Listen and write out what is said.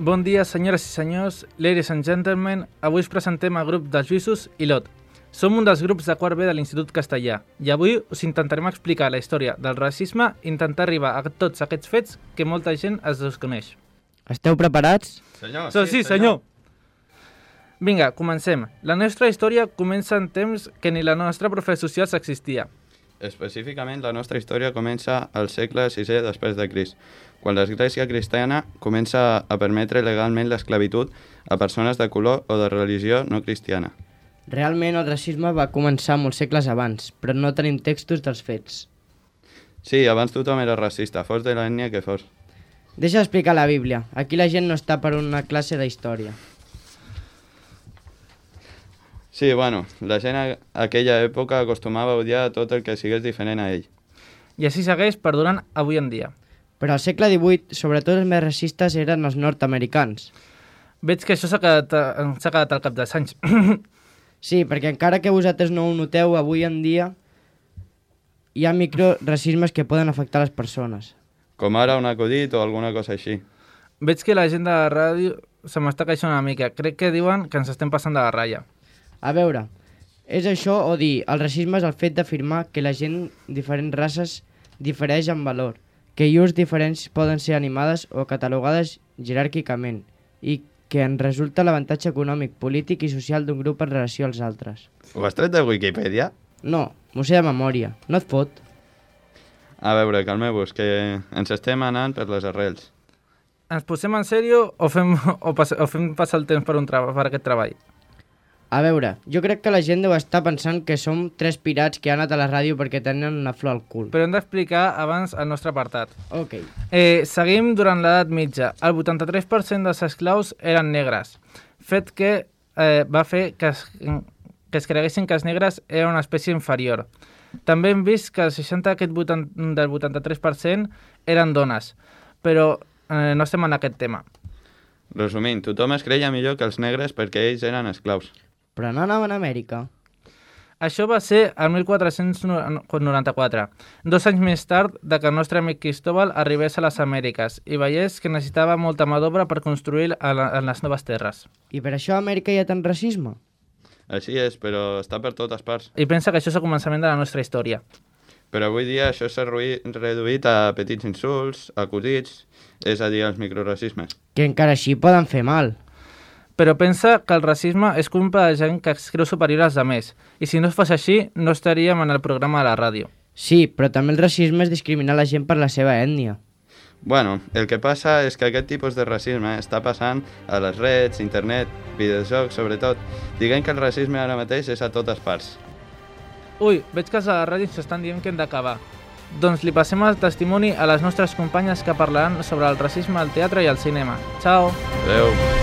Bon dia, senyores i senyors, ladies and gentlemen. Avui us presentem el grup dels Lluïsos i Lot. Som un dels grups de quart B de l'Institut Castellà i avui us intentarem explicar la història del racisme i intentar arribar a tots aquests fets que molta gent es desconeix. Esteu preparats? Senyor, Sí, senyor! Vinga, comencem. La nostra història comença en temps que ni la nostra profe socials existia. Específicament, la nostra història comença al segle VI després de Crist, quan l'Església cristiana comença a permetre legalment l'esclavitud a persones de color o de religió no cristiana. Realment el racisme va començar molts segles abans, però no tenim textos dels fets. Sí, abans tothom era racista, fos de l'ètnia que fos. Deixa d'explicar la Bíblia. Aquí la gent no està per una classe d'història. Sí, bueno, la gent a aquella època acostumava a odiar tot el que sigués diferent a ell. I així segueix perdurant avui en dia. Però al segle XVIII, sobretot els més racistes eren els nord-americans. Veig que això s'ha quedat al cap dels anys. Sí, perquè encara que vosaltres no ho noteu, avui en dia hi ha microracismes que poden afectar les persones. Com ara un acudit o alguna cosa així. Veig que la gent de la ràdio se m'està queixant una mica. Crec que diuen que ens estem passant de la ratlla. A veure, és això o dir, el racisme és el fet d'afirmar que la gent de diferents races difereix en valor, que llurs diferents poden ser animades o catalogades jeràrquicament i que en resulta l'avantatge econòmic, polític i social d'un grup en relació als altres. Ho has tret de Wikipedia? No, m'ho sé de memòria. No et fot. A veure, calmeu-vos, que ens estem anant per les arrels. Ens posem en sèrio o fem passar el temps per aquest treball? A veure, jo crec que la gent deu estar pensant que som tres pirats que han anat a la ràdio perquè tenen una flor al cul. Però hem d'explicar abans el nostre apartat. Ok. Seguim durant l'edat mitja. El 83% dels esclaus eren negres, fet que va fer que es creguessin que els negres eren una espècie inferior. També hem vist que el 60% del 83% eren dones, però no estem en aquest tema. Resumint, tothom es creia millor que els negres perquè ells eren esclaus. Però no anaven a Amèrica. Això va ser el 1494, 2 anys més tard de que el nostre amic Cristóbal arribés a les Amèriques i veiés que necessitava molta mà d'obra per construir en les noves terres. I per això a Amèrica hi ha tant racisme? Així és, però està per totes parts. I pensa que això és el començament de la nostra història. Però avui dia això s'ha reduït a petits insults, acudits, és a dir, els microracismes. Que encara així poden fer mal. Però pensa que el racisme és culpa de gent que es creu superior als altres, i si no es fos així, no estaríem en el programa de la ràdio. Sí, però també el racisme és discriminar la gent per la seva ètnia. Bueno, el que passa és que aquest tipus de racisme està passant a les redes, internet, videojocs, sobretot. Diguem que el racisme ara mateix és a totes parts. Ui, veig que els de la ràdio s'estan dient que hem d'acabar. Doncs li passem el testimoni a les nostres companyes que parlaran sobre el racisme al teatre i al cinema. Ciao! Adéu!